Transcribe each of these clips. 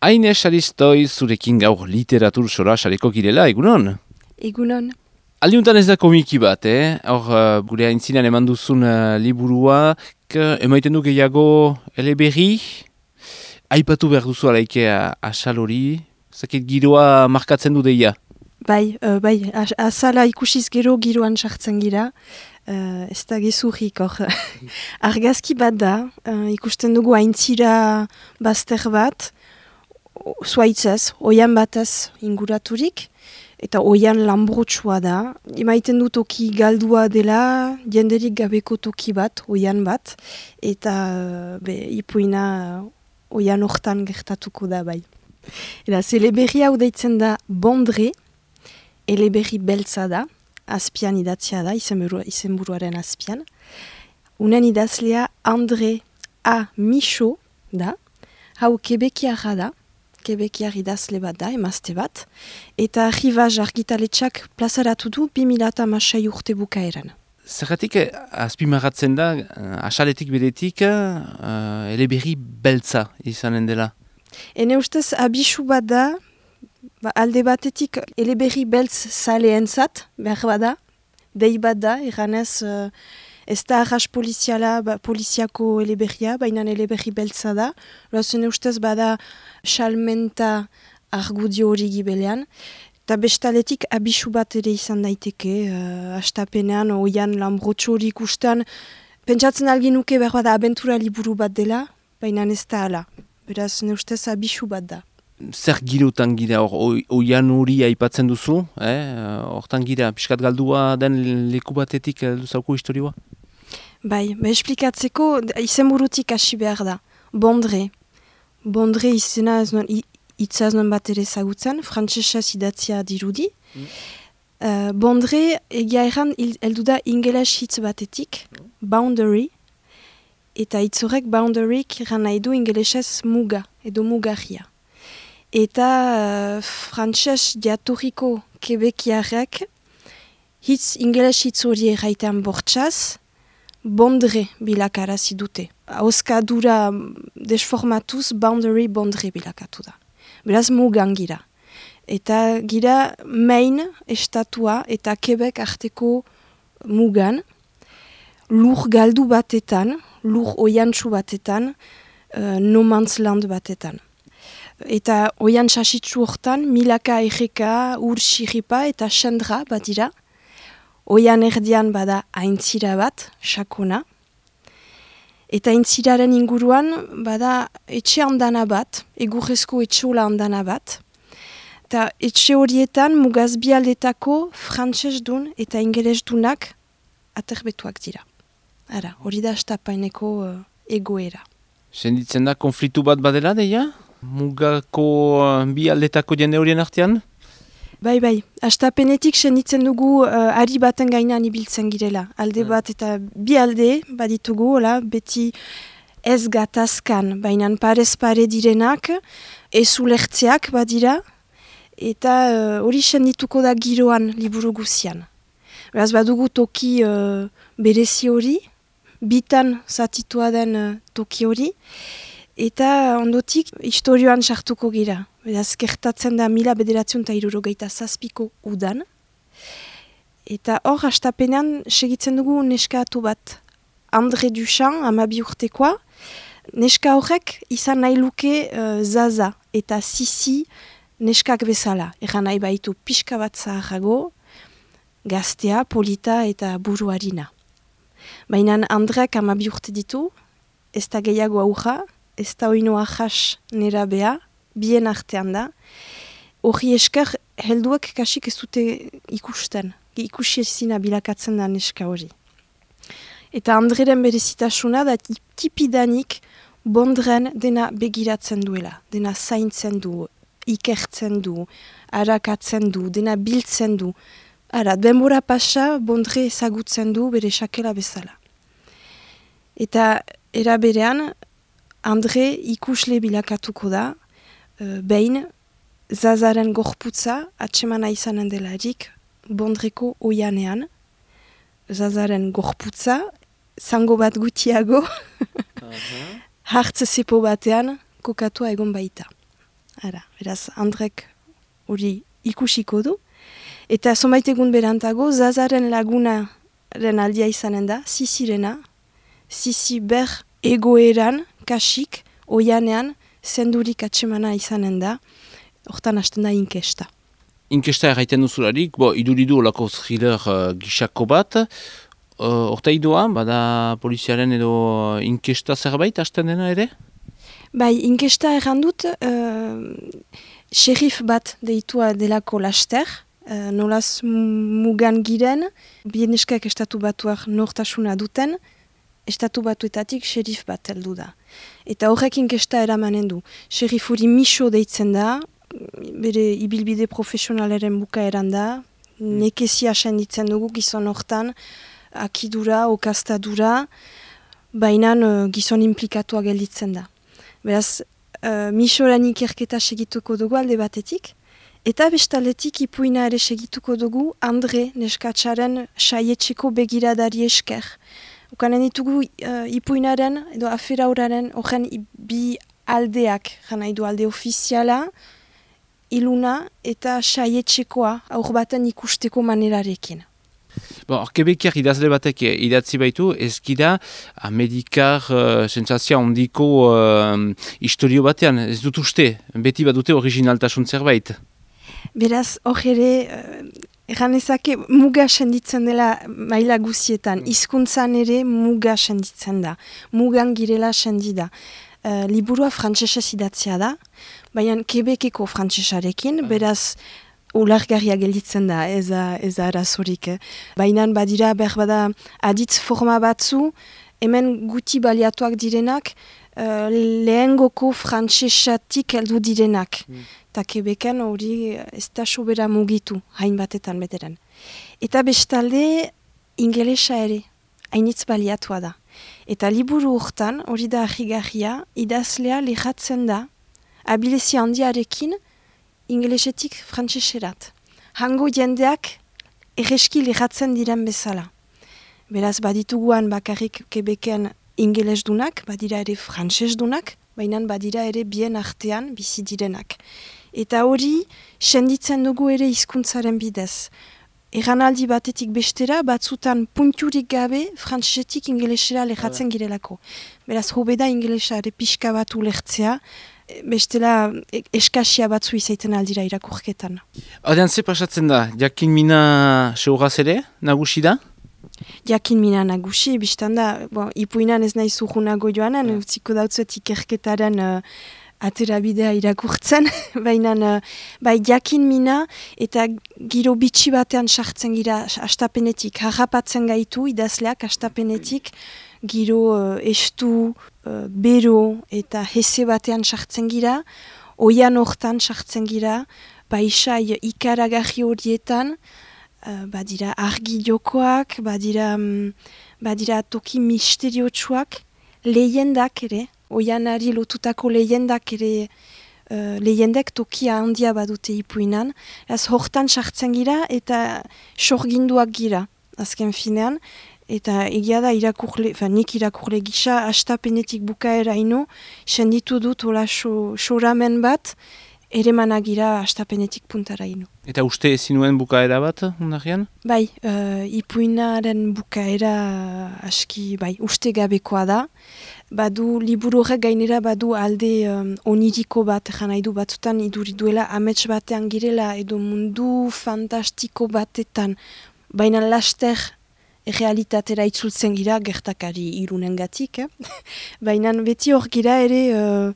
Aine Saristoi zurekin gaur literatur sora sareko girela, egunon? Egunon. Aldiuntan ez da komiki bat, Hor, gure aintzinean eman duzun liburua, emaiten du gehiago eleberri, aipatu behar duzu alaike asal hori, zakit giroa markatzen du deia. Bai, azala ikusiz gero giroan sartzen gira, ez da gezurrik hor. Argazki bat da, ikusten dugu aintzira bazter bat, zuaitzez, oian batez inguraturik, eta oian lanbrotsua da. Emaiten du toki galdua dela, jenderik gabeko toki bat, oian bat, eta ipuina oian hortan gertatuko da bai. Eta eleberri hau deitzen da Bondre, eleberri beltza da, azpian idatzia da, izenburuaren azpian. Unen idazlea André A. Michaud da, hau kebekiarra da, kebekiar idazle bat da, emazte bat, eta Rivaz argitaletxak plazaratu du 2006 urte bukaeran. Zergatik azpimarratzen da, asaletik beretik, eleberri beltza izanen dela? Ene ustez abisu bat da, alde batetik eleberri beltz zaleentzat, behar bada, dei bat da, eranez ez da arras poliziako eleberria, baina eleberri beltza da. Loazen ustez bada salmenta argudio hori gibelean. Eta bestaletik abisu bat ere izan daiteke, hastapenean oian lanbrotxo hori ikusten. Pentsatzen algin nuke behar bada abentura liburu bat dela, baina ez da ala. Beraz, ne ustez abisu bat da. Zer girotan gira hor, oian hori aipatzen duzu, hortan gira, pixkat galdua den leku batetik duzauko historioa? Bai, esplikatzeko izenburutik hasi behar da. Bondre. Bondre izena hitza ez nuen bat ere zagutzen, frantsesez idatzia dirudi. Bondre egia erran heldu da ingeles hitz batetik, boundary, eta hitz horrek boundaryk erran nahi du ingelesez muga, edo mugarria. Eta frantses jatorriko kebekiarrek ingeles hitz hori erraitean bortxaz, Bondre bilakarazi dute. Auskadura desformatuz boundary bondre bilakatu da. Beraz mugan gira. Eta gira Maine estatua eta Quebec arteko mugan, lur galdu batetan, lur oiantsu batetan, no man's land batetan. Eta oian sasitsu hortan, milaka erreka, ur xiripa eta xendra bat dira. Oian erdian bada aintzira bat, sakona. Eta aintziraren inguruan bada etxe handana bat, egurrezko etxola handana bat. Eta etxe horietan mugaz bialdetako frantsesdun eta ingelesdunak aterbetuak dira. Ara, hori da astapaineko egoera. Senditzen da konfliktu bat badela, deia? Mugako bialdetako jende horien artean? Bai, astapenetik senditzen dugu ari baten gainean ibiltzen girela. Alde bat eta bi alde baditugu, beti ez gatazkan, baina parez pare direnak, ez ulertzeak badira, eta hori sendituko da giroan liburu guzian. Beraz badugu toki berezi hori, bitan zatitua den toki hori, eta ondotik historioan sartuko gira. Beraz, gertatzen da 1967ko udan. Eta hor, hastapenean segitzen dugu neskatu bat. André Duchamp, 12 urtekoa. Neska horrek izan nahi luke Zaza eta Sisi neskak bezala. Egan nahi baitu pixka bat zaharrago, gaztea, polita eta buruarina. Baina Andrek 12 urte ditu, ez da gehiago aurra, ez da oino ahas nera bea, bien artean da. Hori esker helduak kasik ez dute ikusten. Ikusi ezina bilakatzen da neska hori. Eta Andreren berezitasuna da tipidanik Bondren dena begiratzen duela. Dena zaintzen du, ikertzen du, arakatzen du, dena biltzen du. Ara, denbora pasa Bondre ezagutzen du bere sakela bezala. Eta era berean André ikusle bilakatuko da, behin Zazaren gorputza atsemana izanen delarik Bondreko oianean, Zazaren gorputza, zango bat gutiago, hartze zepo batean kokatua egon baita. Ara, beraz, Andrek hori ikusiko du. Eta zonbait egun berantago, Zazaren lagunaren aldia izanen da, Zizirena, Zizi ber egoeran, kasik, oianean, zendurik atsemana izanen da, hortan hasten da inkesta. Inkesta erraiten duzularik, iduridu olako thriller gisako bat, horta idoa, bada poliziaren edo inkesta zerbait hasten dena ere? Bai, inkesta errandut, xerif bat deitua delako laster, nolaz mugan giren, bieneskak estatu batuak nortasuna duten, estatu batuetatik xerif bat heldu da. Eta horrek inkesta eramanen du. Xerifuri miso deitzen da, bere ibilbide profesionalaren bukaeran da, nekezia senditzen dugu gizon hortan, akidura, okaztadura, baina gizon implikatuak gelditzen da. Beraz, misoran ikerketa segituko dugu alde batetik, eta bestaletik ipuina ere segituko dugu Andre neskatsaren saietxeko begiradari esker. Ukanen ditugu ipuinaren edo afera horaren horren bi aldeak, jana idu alde ofiziala, iluna eta saietxekoa aur baten ikusteko manerarekin. Kebekiak idazle batek idatzi baitu, ezkida Amerikar sentsazia ondiko historio batean, ez dut uste, beti badute originaltasun zerbait. Beraz, hor ere, erranezake muga senditzen dela maila guzietan, hizkuntzan ere muga senditzen da, mugan girela sendida. Liburua frantsesez idatzia da, baina Quebeceko frantsesarekin, beraz, ulargarria gelditzen da, ez arazorik. Baina badira berbada aditz forma batzu, hemen guti baliatuak direnak, lehengoko frantsesatik heldu direnak. Eta Quebecen hori ez da sobera mugitu, hainbatetan beteren. Eta bestalde, ingelesa ere, hainitz baliatua da. Eta liburu hortan, hori da ahigarria, idazlea lehatzen da, abilezia handiarekin, ingelesetik frantseserat. Hango jendeak erreski lehatzen diren bezala. Beraz, badituguan bakarrik Quebecen ingelesdunak, badira ere frantsesdunak, baina badira ere bien artean bizi direnak. Eta hori, senditzen dugu ere hizkuntzaren bidez. Erranaldi batetik bestera, batzutan punturik gabe, frantsesetik ingelesera lehatzen girelako. Beraz, hobeda ingelesa ere pixka bat ulertzea, bestela eskasia batzu izaiten aldira irakurketan. Adean ze pasatzen da, jakin mina seuraz ere, nagusi da? Jakin mina nagusi, biztan da, ipuinan ez nahi zuhunago joanen, utziko dautzuet ikerketaren aterabidea irakurtzen, baina bai jakin mina eta giro bitxi batean sartzen gira astapenetik, harrapatzen gaitu idazleak astapenetik, giro estu, bero eta heze batean sartzen gira, oian hortan sartzen gira, paisai ikaragarri horietan, badira argi jokoak, badira toki misteriotsuak, lehendak ere, oianari lotutako lehendak ere, lehendek tokia handia badute ipuinan, ez hortan sartzen gira eta sorginduak gira, azken finean, eta egia da nik irakurle gisa, astapenetik bukaera ino, senditu dut hola soramen bat, ere managira astapenetik puntara ino. Eta uste ezinuen bukaera bat, ondarian? Bai, ipuinaren bukaera aski, uste gabekoa da. Badu, liburu horrek gainera badu alde oniriko bat, nahi du batzutan iduriduela amets batean girela edo mundu fantastiko batetan, baina laster realitatera itzultzen gira, gertakari irunengatik, baina beti hor gira ere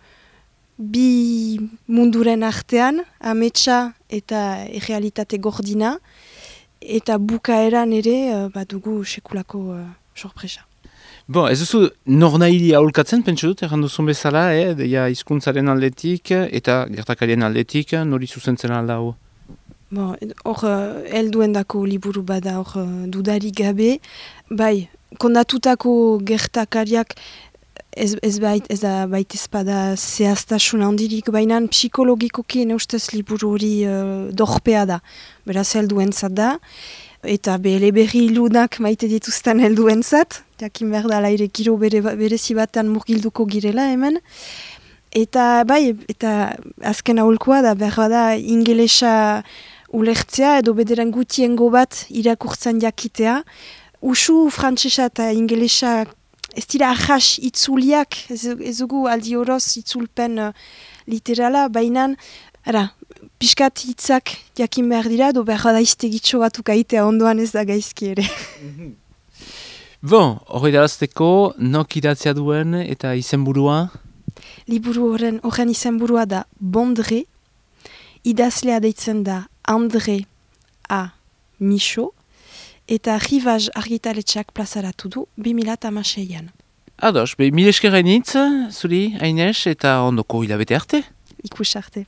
bi munduren artean, ametsa eta realitate gordina, eta bukaeran ere badugu sekulako sorpresa. Ez duzu nornairi aholkatzen, pentsu dut, erranduzun bezala, deia hizkuntzaren aldetik eta gertakarien aldetik, nori zuzentzen alda hau? Hor, helduendako liburu bada, hor dudari gabe, bai, kondatutako gertakariak ez baita zehaztasun handirik, baina psikologikoki ene ustez liburu hori dorpea da, beraz helduentzat da. eta eleberri ilunak maite dituzten helduentzat, jakin behar da ere giro berezi batean murgilduko girela hemen. Eta bai, eta azken aholkoa da behar da ingelesa ulertzea edo bederen gutiengo bat irakurtzen jakitea. Usu frantsesa eta ingelesa ez dira ahas itzuliak, ez dugu aldi horoz itzulpen literala, baina piskat hitzak jakin behar dira, do behar da iztegitxo batuk aitea ondoan ez da gaizki ere. Bon, hori darazteko, nok idatzea duen eta izenburua? Liburu horren izenburua da Bondre, idazlea deitzen da Andre A. Micho, eta Rivaz argitaletxeak plazaratu du 2016an. Ados, mil eskerren hitz, zuri, Aines, eta ondoko hilabete arte? Ikus arte.